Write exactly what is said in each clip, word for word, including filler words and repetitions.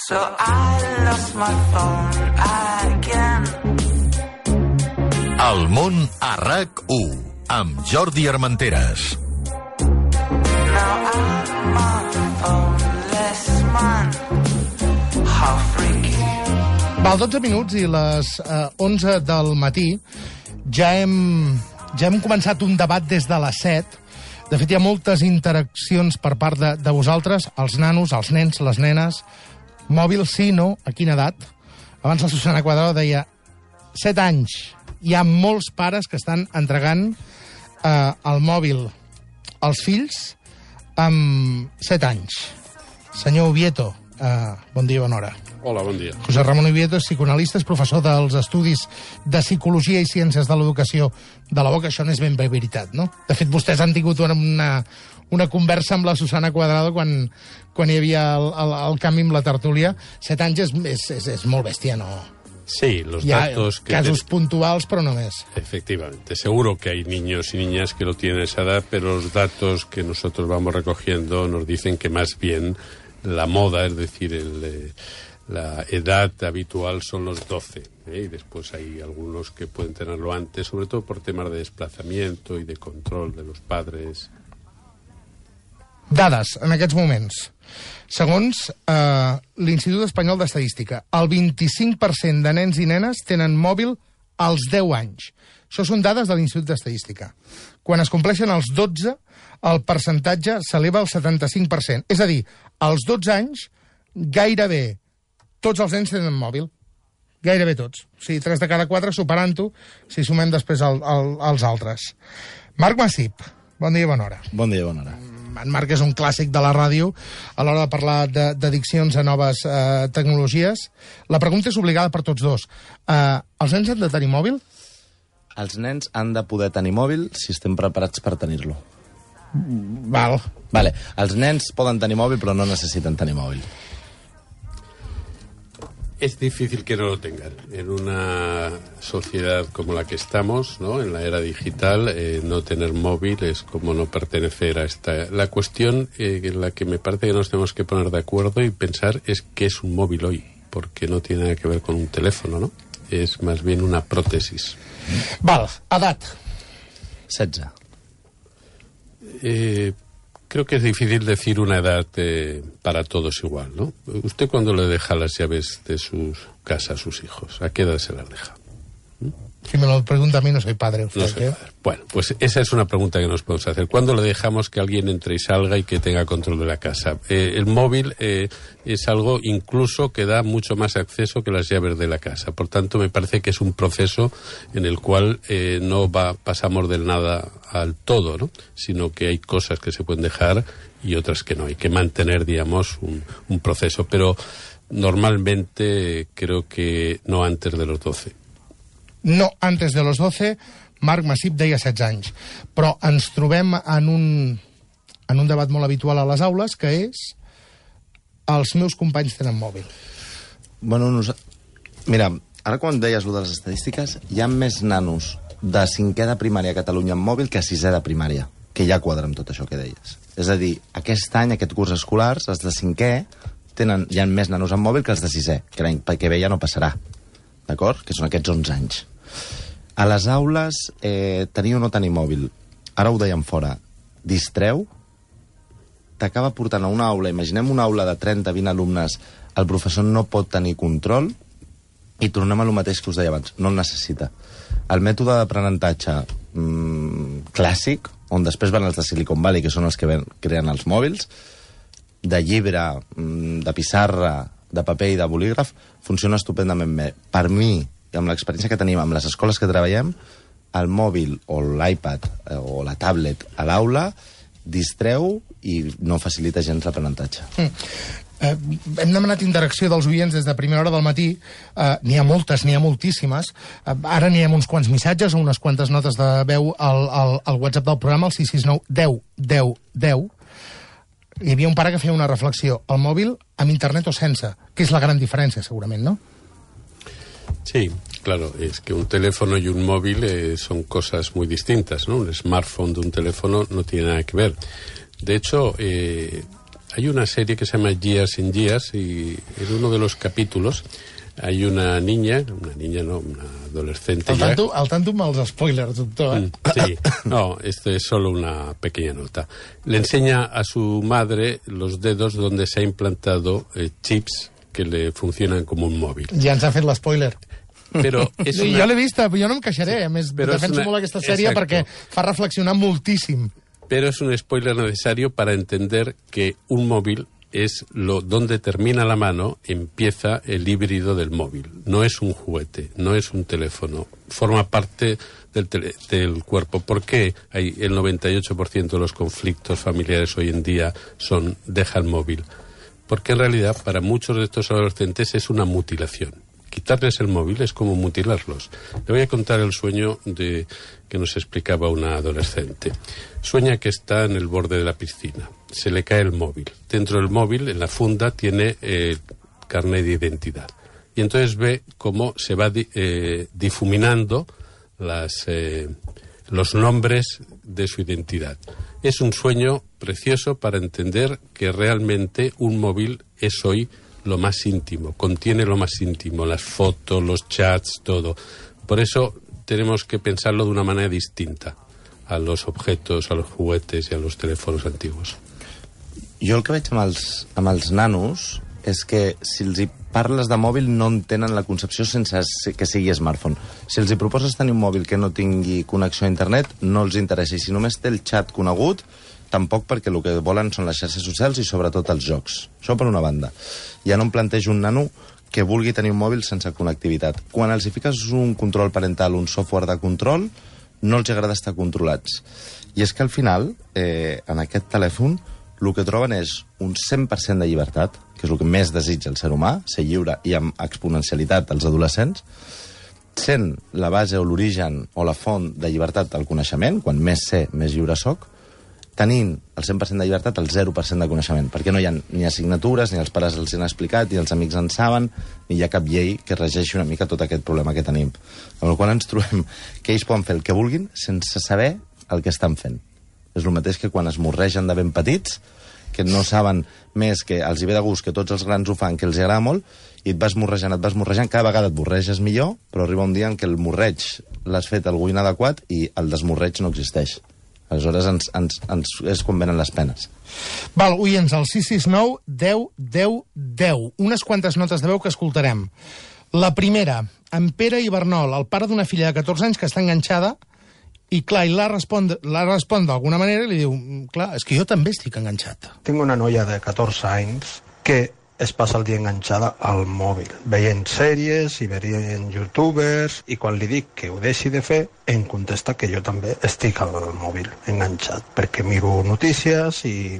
So I lost my phone again. El món a RAC u, amb Jordi Armenteres. Now I'm a phoneless man. How freaky. Val, dotze minuts i les eh, onze del matí ja hem, ja hem començat un debat des de les set. De fet, hi ha moltes interaccions per part de, de vosaltres, els nanos, els nens, les nenes. Mòbil sí, no? A quina edat? Abans la Susana Cuadrado deia set anys. Hi ha molts pares que estan entregant eh, el mòbil als fills amb set anys. Senyor Ubieto, eh, bon dia, bona hora. Hola, bon dia. José Ramon Ubieto és psicoanalista, és professor dels estudis de Psicologia i Ciències de l'Educació de la U O C. Això no és ben bé veritat, no? De fet, vostès han tingut una, una conversa amb la Susana Cuadrado quan, quan hi havia el, el, el canvi amb la tertúlia. Set anys és, és, és, és molt bèstia, no? Sí, los Hi ha datos que casos ten... puntuals, pero no más. Efectivamente. Seguro que hay niños y niñas que lo tienen a esa edad, pero los datos que nosotros vamos recogiendo nos dicen que más bien la moda, es decir, el... Eh, la edad habitual son los doce, ¿eh? Y después hay algunos que pueden tenerlo antes, sobre todo por temas de desplazamiento y de control de los padres. Dades, en aquests moments. Segons eh, l'Institut Espanyol d'Estadística, el vint-i-cinc per cent de nens i nenes tenen mòbil als deu anys. Això són dades de l'Institut d'Estadística. Quan es compleixen els dotze, el percentatge s'eleva al setanta-cinc per cent. És a dir, als dotze anys, gairebé tots els nens tenen mòbil. Gairebé tots. O sigui, tres de cada quatre superant-ho, si sumem després el, el, els altres. Marc Massip, bon dia i bona hora. Bon dia i bona hora. En Marc és un clàssic de la ràdio a l'hora de parlar d'addiccions a noves eh, tecnologies. La pregunta és obligada per tots dos. Eh, els nens han de tenir mòbil? Els nens han de poder tenir mòbil si estem preparats per tenir-lo. Val. Vale. Els nens poden tenir mòbil però no necessiten tenir mòbil. Es difícil que no lo tengan. En una sociedad como la que estamos, ¿no? En la era digital, eh, no tener móvil es como no pertenecer a esta... La cuestión eh, en la que me parece que nos tenemos que poner de acuerdo y pensar es qué es un móvil hoy, porque no tiene nada que ver con un teléfono, ¿no? Es más bien una prótesis. Val, edat. setze. Eh... Creo que es difícil decir una edad eh, para todos igual, ¿no? ¿Usted cuándo le deja las llaves de su casa a sus hijos? ¿A qué edad se las deja? ¿Mm? Si me lo pregunta a mí, no soy padre. Usted, no soy ¿eh? padre. Bueno, pues esa es una pregunta que nos podemos hacer. ¿Cuándo le dejamos que alguien entre y salga y que tenga control de la casa? Eh, el móvil eh, es algo incluso que da mucho más acceso que las llaves de la casa. Por tanto, me parece que es un proceso en el cual eh, no va, pasamos del nada al todo, ¿no? Sino que hay cosas que se pueden dejar y otras que no. Hay que mantener, digamos, un, un proceso. Pero normalmente creo que no antes de los doce. No antes de los doce, Marc Massip deia setze anys. Però ens trobem en un, en un debat molt habitual a les aules, que és els meus companys tenen mòbil. Bueno, nos... Mira, ara quan deies lo de les estadístiques, hi ha més nanos de cinquè de primària a Catalunya amb mòbil que a sisè de primària, que ja quadra amb tot això que deies. És a dir, aquest any, aquest curs escolar, els de cinquè tenen, hi ha més nanos amb mòbil que els de sisè, que l'any que ve ja no passarà, d'acord? Que són aquests onze anys. A les aules, eh, tenir o no tenir mòbil, ara ho dèiem fora, distreu, t'acaba portant a una aula, imaginem una aula de trenta a vint alumnes, el professor no pot tenir control, i tornem a lo mateix que us deia abans, no el necessita. El mètode d'aprenentatge mmm, clàssic, on després van els de Silicon Valley, que són els que ven, creen els mòbils, de llibre, mmm, de pissarra, de paper i de bolígraf, funciona estupendament bé. Per mi, amb l'experiència que tenim amb les escoles que treballem, el mòbil o l'iPad eh, o la tablet a l'aula distreu i no facilita gens l'aprenentatge. Mm. Eh, hem demanat interacció dels oients des de primera hora del matí. Eh, n'hi ha moltes, n'hi ha moltíssimes. Eh, ara n'hi ha uns quants missatges o unes quantes notes de veu al, al, al WhatsApp del programa, el sis sis nou deu deu deu. Hi havia un pare que feia una reflexió. El mòbil amb internet o sense, que és la gran diferència, segurament, no? Sí, claro, es que un teléfono y un móvil eh, son cosas muy distintas, ¿no? Un smartphone de un teléfono no tiene nada que ver. De hecho, eh, hay una serie que se llama Years and Years y en uno de los capítulos hay una niña, una niña no, una adolescente Al ya... tanto, al tanto amb els spoilers, doctor. Eh? Mm, sí, no, esto es solo una pequeña nota. Le enseña a su madre los dedos donde se ha implantado eh, chips que le funcionan como un móvil. Ja ens ha fet l'espoiler. Però és una... Jo l'he vista, jo no em queixaré. A més, Però és defenso una- molt aquesta sèrie Exacto. perquè fa reflexionar moltíssim. Pero es un spoiler necesario para entender que un móvil es lo donde termina la mano, empieza el híbrido del móvil. No es un juguete, no es un teléfono. Forma parte del, tele- del cuerpo. ¿Por qué hay el noventa y ocho por ciento de los conflictos familiares hoy en día son deja el móvil? Porque en realidad para muchos de estos adolescentes es una mutilación. Quitarles el móvil es como mutilarlos. Le voy a contar el sueño de que nos explicaba una adolescente. Sueña que está en el borde de la piscina. Se le cae el móvil. Dentro del móvil, en la funda, tiene el carnet de identidad. Y entonces ve cómo se va di- eh, difuminando las, eh, los nombres de su identidad. Es un sueño precioso para entender que realmente un móvil es hoy lo más íntimo, contiene lo más íntimo, las fotos, los chats, todo. Por eso tenemos que pensarlo de una manera distinta a los objetos, a los juguetes y a los teléfonos antiguos. Jo el que veig amb els, amb els nanos és que si els hi parles de mòbil no entenen la concepció sense que sigui smartphone. Si els hi proposes tenir un mòbil que no tingui connexió a internet, no els interessa. I si només té el xat conegut, tampoc, perquè el que volen són les xarxes socials i sobretot els jocs. Això per una banda. Ja no em plantejo un nano que vulgui tenir un mòbil sense connectivitat. Quan els hi fiques un control parental, un software de control, no els agrada estar controlats. I és que al final, eh, en aquest telèfon, el que troben és un cent per cent de llibertat, que és el que més desitja el ser humà, ser lliure i amb exponencialitat als adolescents, sent la base o l'origen o la font de llibertat del coneixement, quan més sé, més lliure soc, tenint el cent per cent de llibertat, el zero per cent de coneixement, perquè no hi ha ni assignatures, ni els pares els han explicat, ni els amics en saben, ni hi ha cap llei que regeixi una mica tot aquest problema que tenim. Amb el qual ens trobem que ells poden fer el que vulguin sense saber el que estan fent. És el mateix que quan es morregen de ben petits, que no saben més, que els hi ve de gust, que tots els grans ho fan, que els hi agrada molt, i et vas morrejant, et vas morrejant, cada vegada et morreges millor, però arriba un dia en què el morreig l'has fet algú inadequat i el desmorreig no existeix. Aleshores ens, ens, ens, és quan venen les penes. Val, oients, al sis sis nou deu deu deu. Unes quantes notes de veu que escoltarem. La primera, en Pere Ibernol, el pare d'una filla de catorze anys que està enganxada, i clar, i la respon, la respon d'alguna manera i li diu, clar, és que jo també estic enganxat. Tinc una noia de catorze anys que es passa el dia enganxada al mòbil, veient sèries i veient youtubers, i quan li dic que ho deixi de fer, em contesta que jo també estic al mòbil enganxat, perquè miro notícies i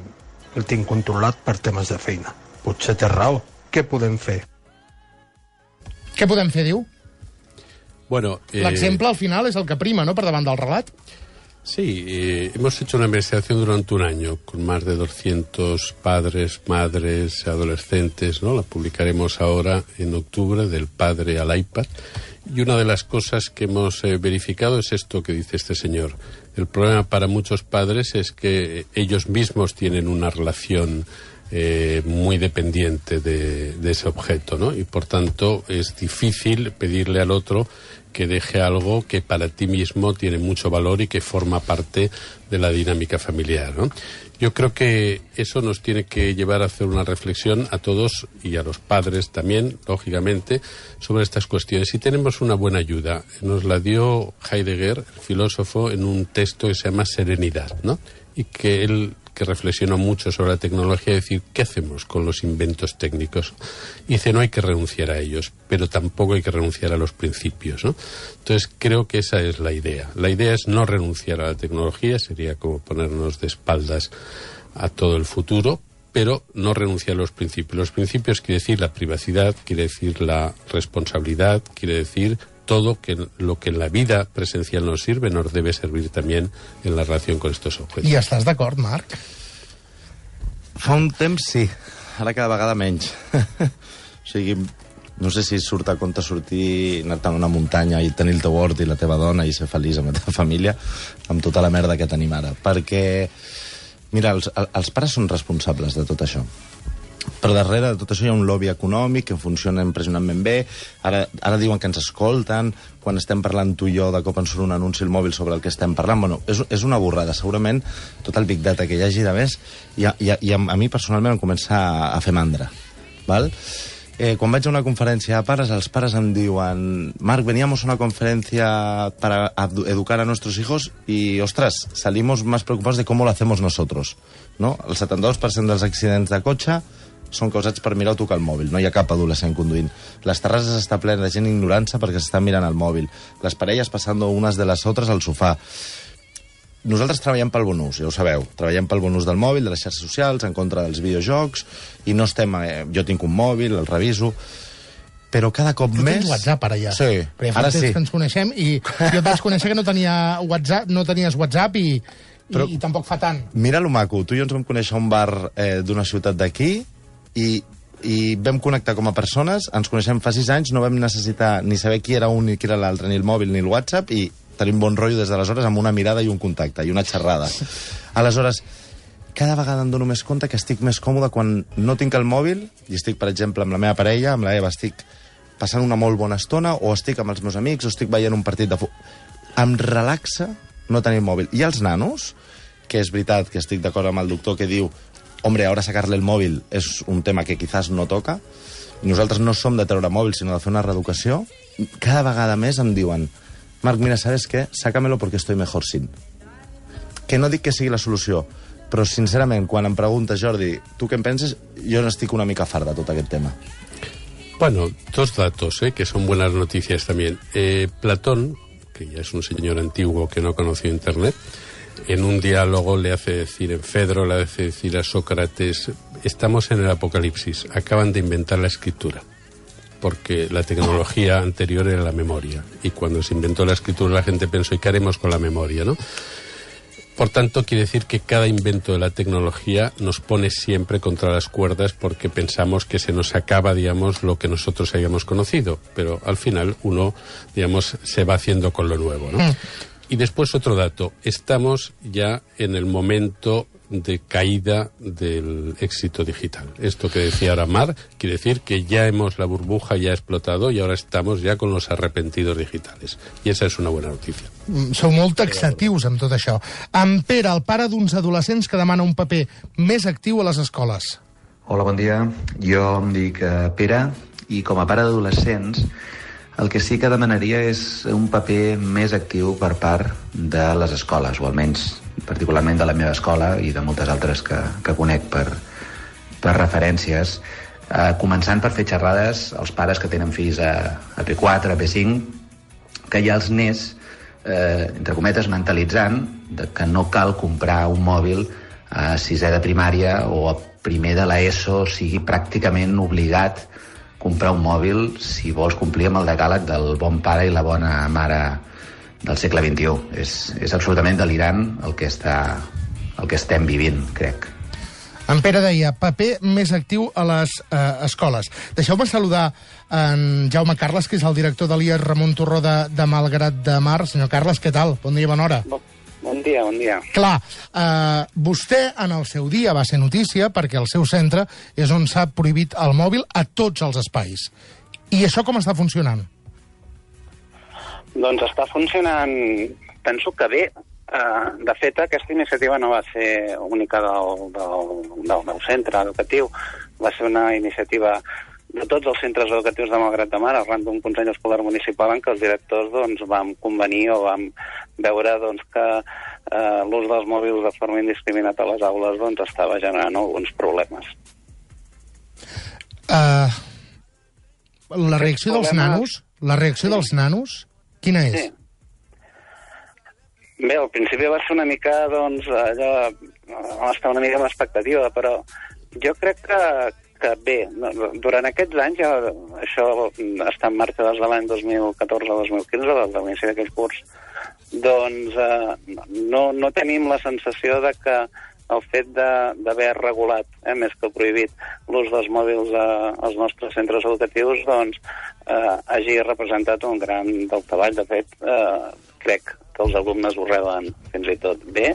el tinc controlat per temes de feina. Potser té raó. Què podem fer? Què podem fer, diu? Bueno, eh, L'exemple, al final, és el que prima, no?, per davant del relat. Sí, eh, hemos hecho una investigación durante un año con más de doscientos padres, madres, adolescentes, ¿no? La publicaremos ahora en octubre, del padre al iPad. Y una de las cosas que hemos eh, verificado es esto que dice este señor. El problema para muchos padres es que ellos mismos tienen una relación eh, muy dependiente de, de ese objeto, ¿no? Y por tanto es difícil pedirle al otro que deje algo que para ti mismo tiene mucho valor y que forma parte de la dinámica familiar, ¿no? Yo creo que eso nos tiene que llevar a hacer una reflexión a todos y a los padres también, lógicamente, sobre estas cuestiones. Y tenemos una buena ayuda. Nos la dio Heidegger, el filósofo, en un texto que se llama Serenidad, ¿no? Y que él, que reflexionó mucho sobre la tecnología, decir, ¿qué hacemos con los inventos técnicos? Y dice, no hay que renunciar a ellos, pero tampoco hay que renunciar a los principios, ¿no? Entonces, creo que esa es la idea. La idea es no renunciar a la tecnología, sería como ponernos de espaldas a todo el futuro, pero no renunciar a los principios. Los principios quiere decir la privacidad, quiere decir la responsabilidad, quiere decir todo que lo que en la vida presencial nos sirve nos debe servir también en la relación con estos objetos. I estàs d'acord, Marc? Fa un temps sí, ara cada vegada menys. O sigui, no sé si surt a compte sortir, anar-te'n a una muntanya i tenir el teu hort i la teva dona i ser feliç amb la teva família, amb tota la merda que tenim ara. Perquè Mira, els, els pares són responsables de tot això. Per darrere de tot això hi ha un lobby econòmic que funciona impressionantment bé. Ara, ara diuen que ens escolten. Quan estem parlant tu i jo, de cop ens surt un anunci al mòbil sobre el que estem parlant. Bueno, és, és una borrada. Segurament tot el big data que hi hagi de més i a, i a, i a, a mi personalment em comença a, a fer mandra. Val? Eh, quan vaig a una conferència de pares, els pares em diuen: Marc, veníamos a una conferencia para educar a nuestros hijos y, ostras, salimos más preocupados de cómo lo hacemos nosotros, ¿no? El setanta-dos per cent dels accidents de cotxe són causats per mirar o tocar el mòbil. No hi ha cap adolescent conduint. Les terrasses està plena de gent ignorància perquè s'estan mirant el mòbil. Les parelles passant unes de les altres al sofà. Nosaltres treballem pel bon ús, ja ho sabeu. Treballem pel bon ús del mòbil, de les xarxes socials, en contra dels videojocs, i no estem... Eh, jo tinc un mòbil, el reviso, però cada cop tu més... Tu tens WhatsApp, ara ja. Sí, Perquè fa ara temps sí. que ens coneixem, i jo et vaig conèixer que no tenia WhatsApp, no tenies WhatsApp, i, però, i, i tampoc fa tant. Mira lo maco, tu i jo ens vam conèixer a un bar eh, d'una ciutat d'aquí, i, i vam connectar com a persones, ens coneixem fa sis anys, no vam necessitar ni saber qui era un ni qui era l'altre, ni el mòbil ni el WhatsApp, i tenim bon rotllo des d'aleshores amb una mirada i un contacte, i una xerrada. Aleshores, cada vegada em dono més compte que estic més còmode quan no tinc el mòbil, i estic, per exemple, amb la meva parella, amb la Eva, estic passant una molt bona estona, o estic amb els meus amics, o estic veient un partit de futbol. Em relaxa no tenir el mòbil. I els nanos, que és veritat que estic d'acord amb el doctor que diu: hombre, ahora sacarle el móvil es un tema que quizás no toca, i nosaltres no som de treure mòbil, sinó de fer una reeducació, cada vegada més em diuen: Marc, mira, ¿sabes qué? Sácamelo porque estoy mejor sin. Que no dic que sigui la solució, però sincerament, quan em preguntes, Jordi, tu què en penses, jo n'estic una mica fart de tot aquest tema. Bueno, dos datos, ¿eh? Que son buenas noticias también. Eh, Platón, que ya es un señor antiguo que no conoció Internet, en un diálogo le hace decir, en Fedro le hace decir a Sócrates: estamos en el apocalipsis, acaban de inventar la escritura, porque la tecnología anterior era la memoria, y cuando se inventó la escritura la gente pensó: ¿y qué haremos con la memoria, no? Por tanto, quiere decir que cada invento de la tecnología nos pone siempre contra las cuerdas, porque pensamos que se nos acaba, digamos, lo que nosotros habíamos conocido, pero al final uno, digamos, se va haciendo con lo nuevo, ¿no? Mm. Y después otro dato: estamos ya en el momento de caída del éxito digital. Esto que decía ahora Mar, quiere decir que ya hemos, la burbuja ya ha explotado y ahora estamos ya con los arrepentidos digitales. I esa és una bona notícia. Sou molt taxatius amb tot això. En Pere, el pare d'uns adolescents que demana un paper més actiu a les escoles. Hola, bon dia. Jo em dic uh, Pere, i com a pare d'adolescents el que sí que demanaria és un paper més actiu per part de les escoles, o almenys particularment de la meva escola i de moltes altres que, que conec per, per referències, eh, començant per fer xerrades als pares que tenen fills a, a P quatre, a P cinc, que ja els nens, eh, entre cometes, mentalitzant de que no cal comprar un mòbil a sisè de primària o a primer de l'ESO, sigui pràcticament obligat comprar un mòbil si vols complir amb el decàleg del bon pare i la bona mare del segle vint-i-u. És, és absolutament delirant el que, està, el que estem vivint, crec. En Pere deia, paper més actiu a les eh, escoles. Deixeu-me saludar en Jaume Carles, que és el director de l'I E S Ramon Torró de, de Malgrat de Mar. Senyor Carles, què tal? Bon dia, bona hora. Bon, bon dia, bon dia. Clar, eh, vostè en el seu dia va ser notícia perquè el seu centre és on s'ha prohibit el mòbil a tots els espais. I això com està funcionant? Doncs està funcionant, penso que bé. Uh, de fet, aquesta iniciativa no va ser única del, del, del meu centre educatiu. Va ser una iniciativa de tots els centres educatius de Malgrat de Mar, arran d'un Consell Escolar Municipal en què els directors doncs, vam convenir o vam veure doncs, que uh, l'ús dels mòbils de forma indiscriminada a les aules doncs, estava generant alguns problemes. Uh, la reacció dels nanos, la reacció dels nanos, quina és? Sí. Bé, al principi va ser una mica, doncs, allò, vam estar una mica amb expectativa, però jo crec que, que bé, durant aquests anys, ja, això està en marxa des de l'any dos mil catorze a dos mil quinze, des de l'inici d'aquell curs, doncs eh, no, no tenim la sensació de que el fet d'haver regulat, eh, més que prohibit, l'ús dels mòbils a, als nostres centres educatius, doncs, eh, hagi representat un gran daltavall. De fet, eh, crec que els alumnes ho reben fins i tot bé,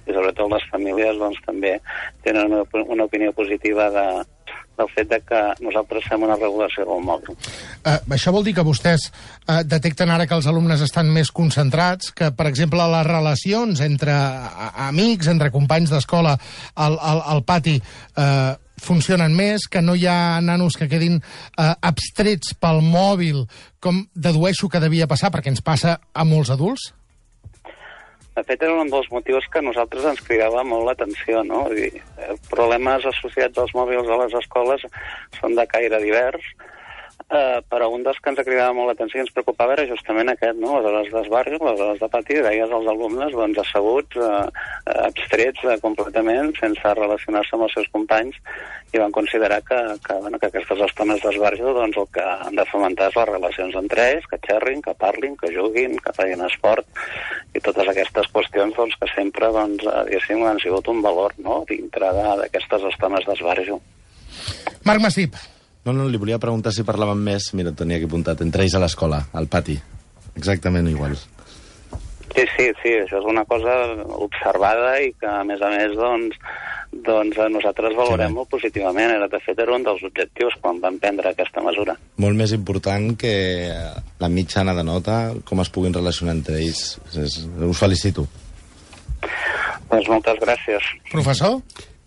i sobretot les famílies doncs, també tenen una, una opinió positiva de, del fet de que nosaltres fem una regulació del mòbil. Uh, això vol dir que vostès uh, detecten ara que els alumnes estan més concentrats, que, per exemple, les relacions entre uh, amics, entre companys d'escola al, al, al pati uh, funcionen més, que no hi ha nanos que quedin uh, abstrets pel mòbil, com dedueixo que devia passar, perquè ens passa a molts adults? De fet, era un dels motius que a nosaltres ens cridava molt l'atenció, no? Vull dir, problemes associats als mòbils a les escoles són de caire divers, eh, però un dels que ens cridava molt l'atenció i ens preocupava era justament aquest, no? Les hores d'esbarjo, les hores de pati, deies als alumnes doncs, asseguts, eh, abstrets eh, completament, sense relacionar-se amb els seus companys, i van considerar que, que, bueno, que aquestes estones d'esbarjo doncs, el que han de fomentar és les relacions entre ells, que xerrin, que parlin, que juguin, que facin esport, i totes aquestes qüestions doncs, que sempre doncs, diguéssim, han sigut un valor, no?, dintre d'aquestes estones d'esbarjo. Marc Masip. No, no, li volia preguntar si parlaven més, mira, tenia aquí apuntat, entre ells a l'escola, al pati. Exactament igual. Sí, sí, sí, això és una cosa observada i que, a més a més, doncs, doncs nosaltres valorem sí, molt positivament. Era, de fet, era un dels objectius quan vam prendre aquesta mesura. Molt més important que la mitjana de nota, com es puguin relacionar entre ells. Us felicito. Doncs moltes gràcies. Professor?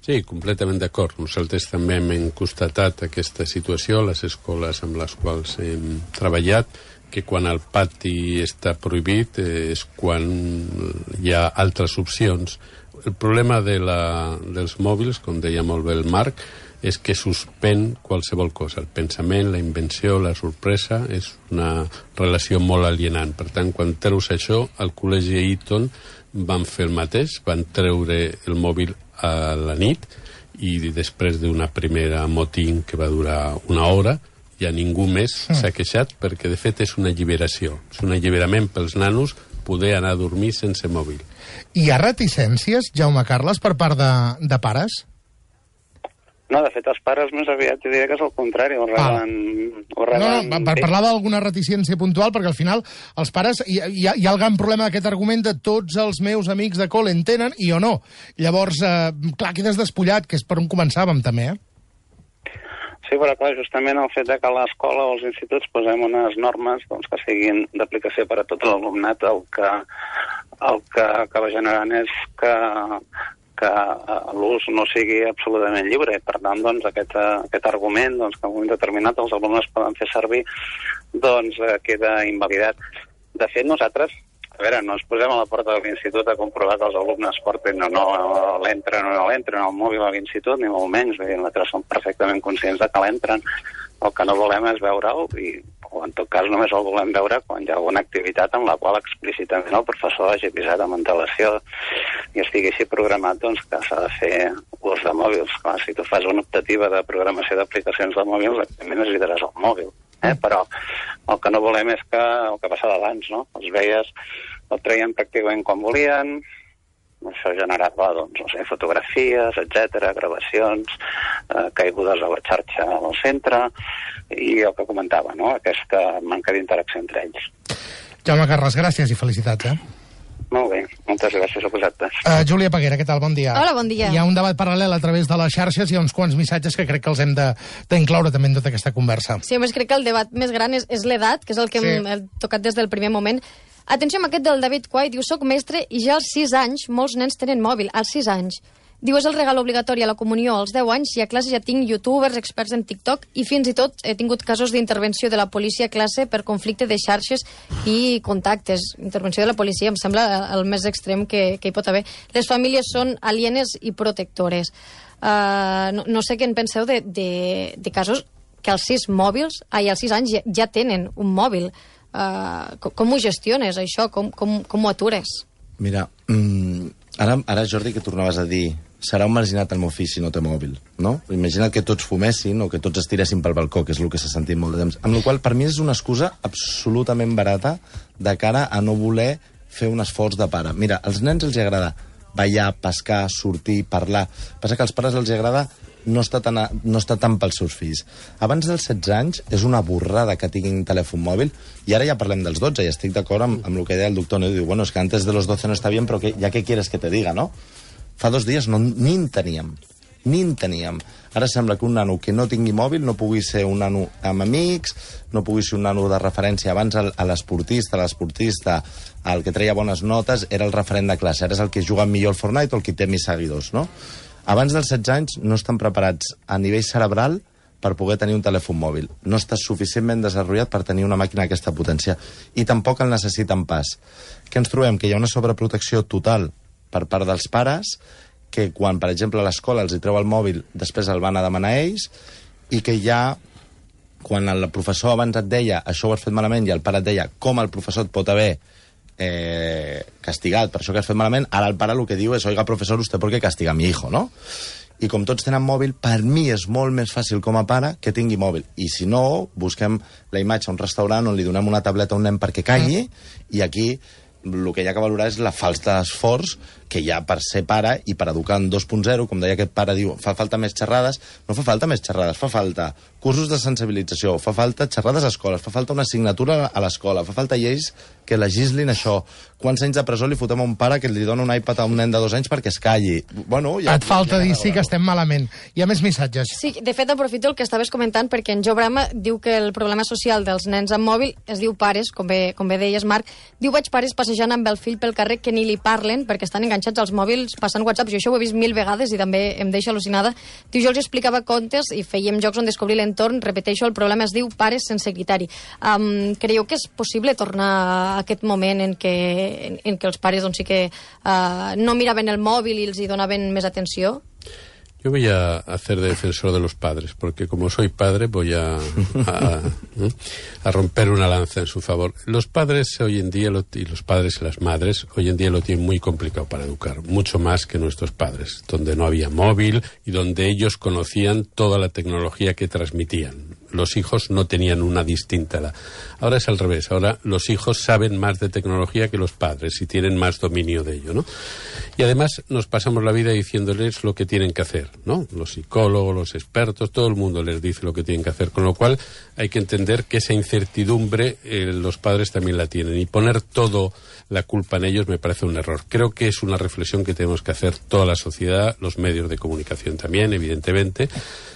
Sí, completament d'acord. Nosaltres també hem constatat aquesta situació a les escoles amb les quals hem treballat, que quan el pati està prohibit eh, és quan hi ha altres opcions. El problema de la, dels mòbils, com deia molt bé el Marc, és que suspèn qualsevol cosa. El pensament, la invenció, la sorpresa, és una relació molt alienant. Per tant, quan treus això, al col·legi Eton van fer el mateix, van treure el mòbil a la nit i després d'una primera motín que va durar una hora, ja ningú més s'ha queixat perquè, de fet, és una alliberació. És un alliberament pels nanos poder anar a dormir sense mòbil. Hi ha reticències, Jaume Carles, per part de, de pares? No, de fet, els pares més aviat diria que és el contrari, ho reben... Ho reben... No, no, per parlar d'alguna reticència puntual, perquè al final els pares... Hi, hi, ha, hi ha el gran problema d'aquest argument de tots els meus amics de col·le en tenen i o no. Llavors, eh, clar, quedes despullat, que és per on començàvem també, eh? Sí, però clar, justament el fet de que a l'escola o als instituts posem unes normes doncs, que siguin d'aplicació per a tot l'alumnat, el que, el que acaba generant és que, que l'ús no sigui absolutament lliure. Per tant, doncs, aquest, aquest argument doncs, que en un moment determinat els alumnes poden fer servir doncs, queda invalidat. De fet, nosaltres, a veure, no ens posem a la porta de l'institut a comprovar que els alumnes portin o no l'entren o no l'entren al mòbil a l'institut, ni molt menys. Nosaltres som perfectament conscients de que l'entren. El que no volem és veure'l, i, o en tot cas només el volem veure quan hi ha alguna activitat en la qual explícitament el professor hagi avisat amb antelació i estigui així programat doncs, que s'ha de fer ús de mòbils. Clar, si tu fas una optativa de programació d'aplicacions de mòbils, evidentment necessitaràs el mòbil. Eh? Però el que no volem és que el que passava abans, no? Els veies, el treien pràcticament quan volien, això generava, doncs, no sé, fotografies, etcètera, gravacions, eh, caigudes a la xarxa al centre, i el que comentava, no?, aquesta manca d'interacció entre ells. Jaume Carles, gràcies i felicitats, eh? Molt bé, moltes gràcies a vosaltres. Uh, Júlia Peguera, què tal? Bon dia. Hola, bon dia. Hi ha un debat paral·lel a través de les xarxes, hi ha uns quants missatges que crec que els hem d'incloure també en tota aquesta conversa. Sí, a més crec que el debat més gran és, és l'edat, que és el que sí. hem tocat des del primer moment. Atenció amb aquest del David Quay, diu, soc mestre i ja als sis anys molts nens tenen mòbil, als sis anys. Diu, és el regal obligatori a la comunió als deu anys i a classe ja tinc youtubers, experts en TikTok i fins i tot he tingut casos d'intervenció de la policia a classe per conflicte de xarxes i contactes. Intervenció de la policia em sembla el més extrem que, que hi pot haver. Les famílies són alienes i protectores. Uh, no, no sé què en penseu de, de, de casos que als sis mòbils, ai, als sis anys ja, ja tenen un mòbil. Uh, com, com ho gestiones, això? Com, com, com ho atures? Mira, mm, ara, ara, Jordi, que tornaves a dir serà un marginat el meu fill si no té mòbil, no? Imagina't que tots fumessin o que tots es tiressin pel balcó, que és el que s'ha sentit molt de temps. Amb la qual per mi és una excusa absolutament barata de cara a no voler fer un esforç de pare. Mira, als nens els agrada ballar, pescar, sortir, parlar. Passa que als pares els agrada no està tan, a, no està tant pels seus fills. Abans dels setze anys és una borrada que tinguin telèfon mòbil, i ara ja parlem dels dotze, i estic d'acord amb, amb el que deia el doctor, no? Diu, bueno, es que antes de los doce no está bien, però que, ya que quieres que te diga, no? Fa dos dies no, ni en teníem. Ni en teníem. Ara sembla que un nano que no tingui mòbil no pugui ser un nano amb amics, no pugui ser un nano de referència. Abans el, a l'esportista, l'esportista, el que treia bones notes, era el referent de classe. Ara és el que juga millor al Fortnite o el que té més seguidors, no? Abans dels setze anys no estan preparats a nivell cerebral per poder tenir un telèfon mòbil. No està suficientment desenvolupat per tenir una màquina d'aquesta potència. I tampoc el necessiten pas. Què ens trobem? Que hi ha una sobreprotecció total per part dels pares, que quan, per exemple, a l'escola els hi treu el mòbil, després el van a demanar ells, i que ja, quan el professor abans et deia això ho has fet malament, i el pare et deia com el professor et pot haver eh, castigat per això que has fet malament, ara el pare el que diu és, oiga, professor, usted por qué castiga a mi hijo, no? I com tots tenen mòbil, per mi és molt més fàcil com a pare que tingui mòbil. I si no, busquem la imatge a un restaurant on li donem una tableta a un nen perquè calli, i aquí el que hi ha que valorar és la falta d'esforç que hi ha per ser pare i per educar en dos punt zero, com deia aquest pare, diu, fa falta més xerrades. No fa falta més xerrades, fa falta cursos de sensibilització, fa falta xerrades a escoles, fa falta una assignatura a l'escola, fa falta lleis que legislin això. Quants anys de presó li fotem a un pare que li dona un iPad a un nen de dos anys perquè es calli? Bueno, ja, Et falta ja dir sí que estem malament. Hi ha més missatges. Sí, de fet, aprofito el que estaves comentant, perquè en Jo Brama diu que el problema social dels nens amb mòbil es diu pares, com bé, com bé deies, Marc. Diu, vaig pares passejant amb el fill pel carrer que ni li parlen perquè estan enganxats als mòbils passant WhatsApp. Jo això ho he vist mil vegades i també em deixa al·lucinada. Diu, jo els explicava contes i fèiem jocs on descobrir l'entorn. Repeteixo, el problema es diu pares sense criteri. Um, creieu que és possible tornar a aquest moment en què, en, en què els pares doncs, sí que uh, no miraven el mòbil i els hi donaven més atenció? Yo voy a hacer de defensor de los padres, porque como soy padre voy a, a, a romper una lanza en su favor. Los padres hoy en día, lo, y los padres y las madres, hoy en día lo tienen muy complicado para educar, mucho más que nuestros padres, donde no había móvil y donde ellos conocían toda la tecnología que transmitían. Los hijos no tenían una distinta. La... Ahora es al revés. Ahora los hijos saben más de tecnología que los padres y tienen más dominio de ello, ¿no? Y además nos pasamos la vida diciéndoles lo que tienen que hacer, ¿no? Los psicólogos, los expertos, todo el mundo les dice lo que tienen que hacer. Con lo cual hay que entender que esa incertidumbre eh, los padres también la tienen. Y poner todo la culpa en ellos me parece un error. Creo que es una reflexión que tenemos que hacer toda la sociedad, los medios de comunicación también, evidentemente,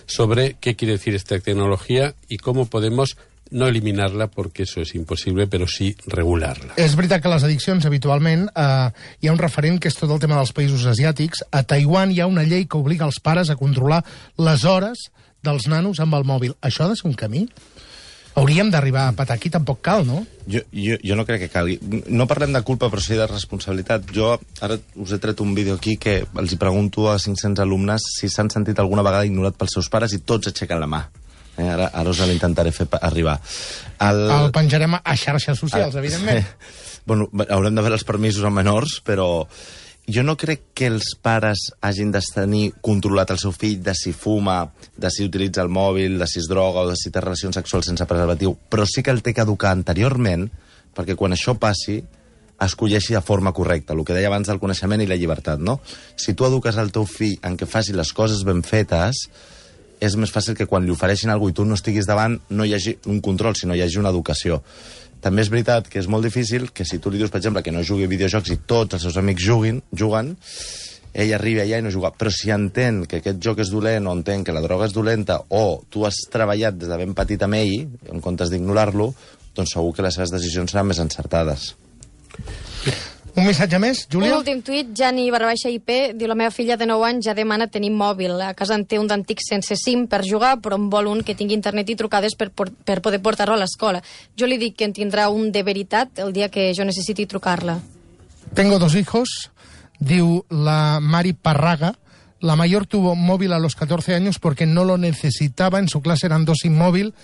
sobre qué quiere decir esta tecnología y cómo podemos no eliminarla, porque eso és impossible, però sí regular-la. És veritat que les addiccions, habitualment, eh, hi ha un referent que és tot el tema dels països asiàtics. A Taiwan hi ha una llei que obliga els pares a controlar les hores dels nanos amb el mòbil. Això ha de ser un camí? Hauríem d'arribar a patar aquí, tampoc cal, no? Jo, jo, jo no crec que calgui. No parlem de culpa, però sí de responsabilitat. Jo ara us he tret un vídeo aquí que els hi pregunto a cinc-cents alumnes si s'han sentit alguna vegada ignorat pels seus pares i tots aixequen la mà. Eh, ara, ara us l'intentaré fer arribar. El, el penjarem a xarxes socials, el, evidentment. Bueno, haurem de veure els permisos a menors, però jo no crec que els pares hagin de tenir controlat el seu fill de si fuma, de si utilitza el mòbil, de si es droga o de si té relacions sexuals sense preservatiu, però sí que el té que educar anteriorment perquè quan això passi escolleixi de forma correcta, el que deia abans del coneixement i la llibertat, no? Si tu eduques el teu fill en què faci les coses ben fetes, és més fàcil que quan li ofereixin alguna cosa i tu no estiguis davant no hi hagi un control, sinó hi hagi una educació. També és veritat que és molt difícil que si tu li dius, per exemple, que no jugui a videojocs i tots els seus amics juguin, juguen, ell arriba allà i no juga. Però si entén que aquest joc és dolent o entén que la droga és dolenta o tu has treballat des de ben petit amb ell, en comptes d'ignorar-lo, doncs segur que les seves decisions seran més encertades. Un missatge més, Júlia? Un últim tuit, Jani barra baixa I P, diu la meva filla de nou anys ja demana tenir mòbil. A casa en té un d'antic sense SIM per jugar, però en vol un que tingui internet i trucades per, per poder portar-lo a l'escola. Jo li dic que en tindrà un de veritat el dia que jo necessiti trucar-la. Tengo dos hijos, diu la Mari Parraga. La mayor tuvo móvil a los catorce años porque no lo necesitaba, en su clase eran dos sin móvil.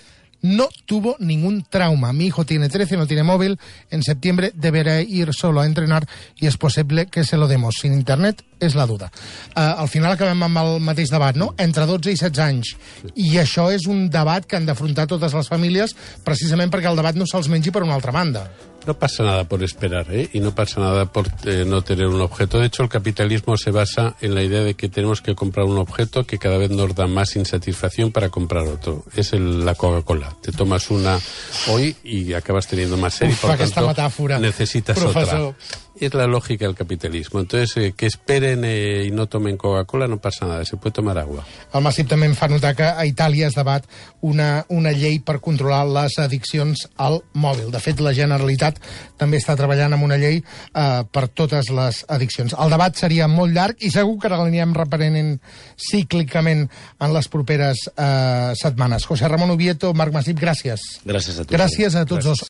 No tuvo ningún trauma. Mi hijo tiene trece, no tiene móvil. En septiembre deberá ir solo a entrenar y es posible que se lo demos. Sin internet és la duda. Uh, al final acabem amb el mateix debat, no? Entre dotze i setze anys. I això és un debat que han d'afrontar totes les famílies precisament perquè el debat no se'ls mengi per una altra banda. No pasa nada por esperar, ¿eh? Y no pasa nada por eh, no tener un objeto. De hecho, el capitalismo se basa en la idea de que tenemos que comprar un objeto que cada vez nos da más insatisfacción para comprar otro. Es el, la Coca-Cola. Te tomas una hoy y acabas teniendo más sed y por Uf, tanto metàfora, necesitas professor. otra. es la lógica del capitalismo. Entonces, eh, que esperen eh, y no tomen Coca-Cola no pasa nada, se puede tomar agua. El Massip també em fa notar que a Itàlia es debat una, una llei per controlar les addiccions al mòbil. De fet, la Generalitat també està treballant en una llei eh, per totes les addiccions. El debat seria molt llarg i segur que l'anirem reprenent cíclicament en les properes eh, setmanes. José Ramón Ubieto, Marc Massip, gràcies. Gràcies a tu. Gràcies a tots dos.